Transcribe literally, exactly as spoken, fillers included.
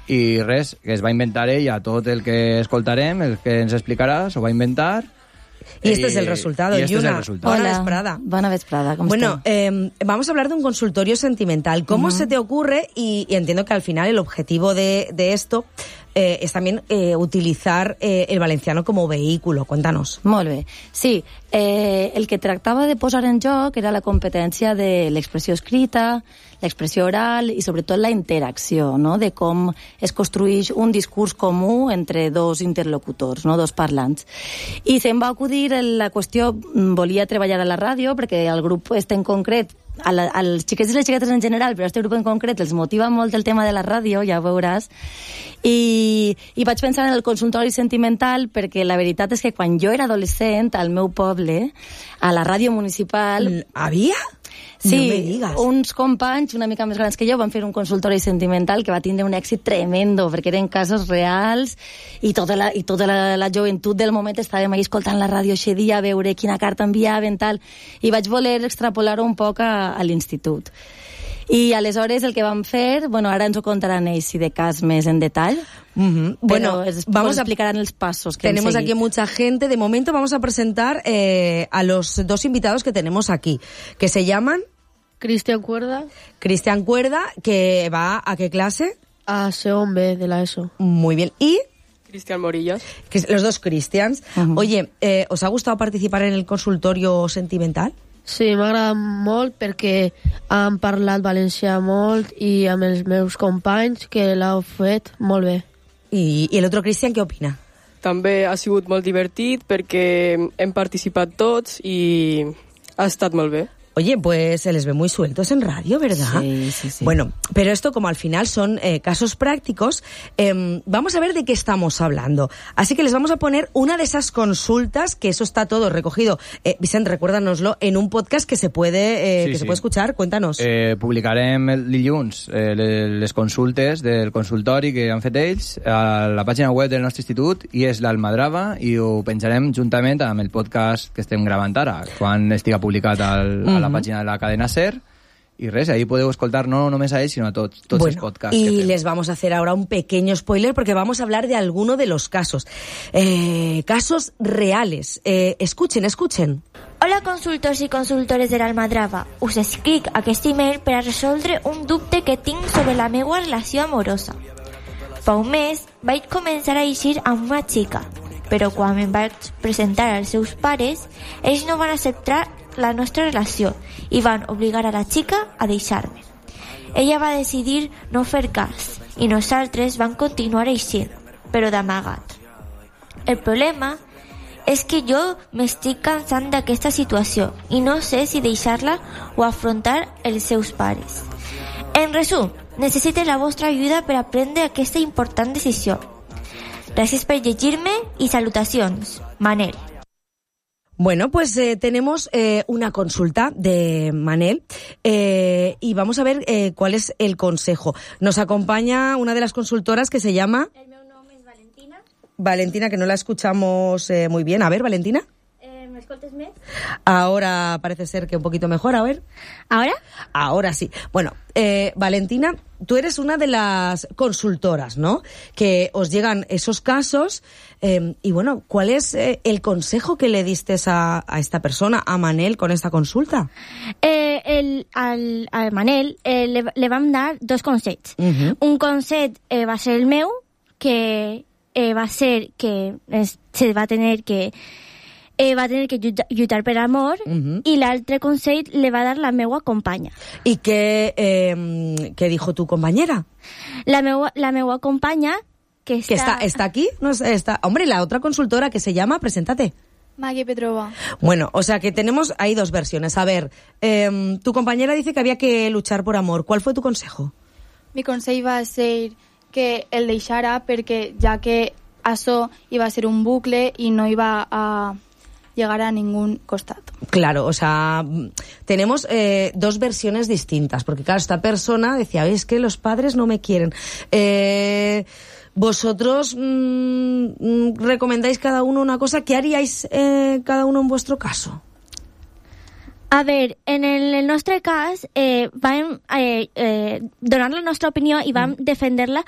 i res, que es va inventar ella tot el que escoltarem, el que ens explicarà, s'ho va inventar. Y este y, es el resultado. Y este Yuna, es el resultado. Hola, vesprada. Buena vesprada, ¿cómo Bueno, eh, vamos a hablar de un consultorio sentimental. ¿Cómo uh-huh. se te ocurre? Y, y entiendo que al final el objetivo de, de esto eh, es también eh, utilizar eh, el valenciano como vehículo. Cuéntanos. Molt bé. Sí, eh, el que tractava de posar en joc era la competència de l'expressió escrita, l'expressió oral i sobretot la interacció, no? De com es construeix un discurs comú entre dos interlocutors, no? Dos parlants. I se'm va acudir la qüestió, volia treballar a la ràdio perquè el grup este en concret, a la, als xiquets i les xiquetes en general, però a este grup en concret els motiva molt el tema de la ràdio, ja ho veuràs, i, i vaig pensar en el consultori sentimental perquè la veritat és que quan jo era adolescent al meu poble, a la ràdio municipal... Havia? Sí, no me digas. Uns companys una mica més grans que jo van fer un consultori sentimental que va tindre un èxit tremendo perquè eren casos reals i tota la, i tota la, la joventut del moment estàvem ahí escoltant la ràdio aquest dia a veure quina carta enviaven tal, i vaig voler extrapolar-ho un poc a, a l'institut. I aleshores el que vam fer, bueno, ara ens ho contaran ells si de cas més en detall. Uh-huh. Bueno, es, vamos a explicar los pasos que tenemos aquí mucha gente. De momento vamos a presentar eh, a los dos invitados que tenemos aquí, que se llaman Cristian Cuerda. Cristian Cuerda, que va a qué clase? A segon B de la ESO. Muy bien. Y Cristian Morillas. Que los dos Cristians. Uh-huh. Oye, eh, ¿os ha gustado participar en el consultorio sentimental? Sí, m'agrada molt perquè han parlat valencià molt i amb els meus companys que l'heu fet molt bé. I, i el otro Cristian, què opina? També ha sigut molt divertit perquè hem participat tots i ha estat molt bé. Oye, pues se les ve muy sueltos en radio, ¿verdad? Sí, sí, sí. Bueno, pero esto como al final son eh, casos prácticos, eh, vamos a ver de qué estamos hablando. Así que les vamos a poner una de esas consultas, que eso está todo recogido. Eh, Vicent, recuérdanoslo, en un podcast que se puede, eh, sí, que sí. se puede escuchar. Cuéntanos. Eh, publicarem el dilluns eh, les consultes del consultori que han fet ells a la pàgina web del nostre institut, i és l'Almadrava, i ho penjarem juntament amb el podcast que estem gravant ara, quan estiga publicat al, a la pàgina de la cadena SER, y res, ahí podeu escoltar no només a ells, sino a tots, tots bueno, els podcasts. Y que fem. les vamos a hacer ahora un pequeño spoiler porque vamos a hablar de alguno de los casos. Eh, casos reales. Eh, escuchen, escuchen. Hola consultors i consultores de l'Almadrava. Us escric aquest email per a resoldre un dubte que tinc sobre la meva relació amorosa. Fa un mes vaig començar a eixir amb una xica, però quan em vaig presentar als seus pares, ells no van acceptar la nostra relació i van obligar a la xica a deixar-me. Ella va decidir no fer cas i nosaltres vam continuar eixint, però d'amagat. El problema és que jo m'estic cansant d'aquesta situació i no sé si deixar-la o afrontar els seus pares. En resum, necessito la vostra ajuda per a prendre aquesta important decisió. Gràcies per llegir-me i salutacions. Manel. Bueno, pues eh, tenemos eh, una consulta de Manel eh, y vamos a ver eh, cuál es el consejo. Nos acompaña una de las consultoras que se llama... El meu nom és Valentina. Valentina, que no la escuchamos eh, muy bien. A ver, Valentina. Eh, ¿Me escoltes més? Ahora parece ser que un poquito mejor, a ver. ¿Ahora? Ahora sí. Bueno, eh, Valentina, tú eres una de las consultoras, ¿no? Que os llegan esos casos eh, y bueno, ¿cuál es eh, el consejo que le diste a, a esta persona, a Manel, con esta consulta? Eh, el, al, al Manel eh, le, le vam dar dos consells. Uh-huh. Un consell eh, va ser el meu, que eh, va ser que es, se va tener que Eh, va tenir que lluitar per amor, uh-huh. i l'altre consell le va dar la meua companya. ¿Y qué, eh, qué dijo tu compañera? La meua, la meua companya, que está... ¿Que está, está aquí? No, está... Hombre, la otra consultora que se llama, preséntate. Maggie Petrova. Bueno, o sea que tenemos ahí dos versiones. A ver, eh, tu compañera dice que había que luchar por amor. ¿Cuál fue tu consejo? Mi consell va ser que el deixara perquè ja que això iba a ser un bucle i no iba a llegar a ningún costado. Claro, o sea, tenemos eh, dos versiones distintas, porque claro, esta persona decía, es que los padres no me quieren. Eh, vosotros mmm, recomendáis cada uno una cosa. ¿Qué haríais eh, cada uno en vuestro caso? A ver, en el, el nostre cas eh, vam eh, eh, donar la nostra opinió i vam mm. defender-la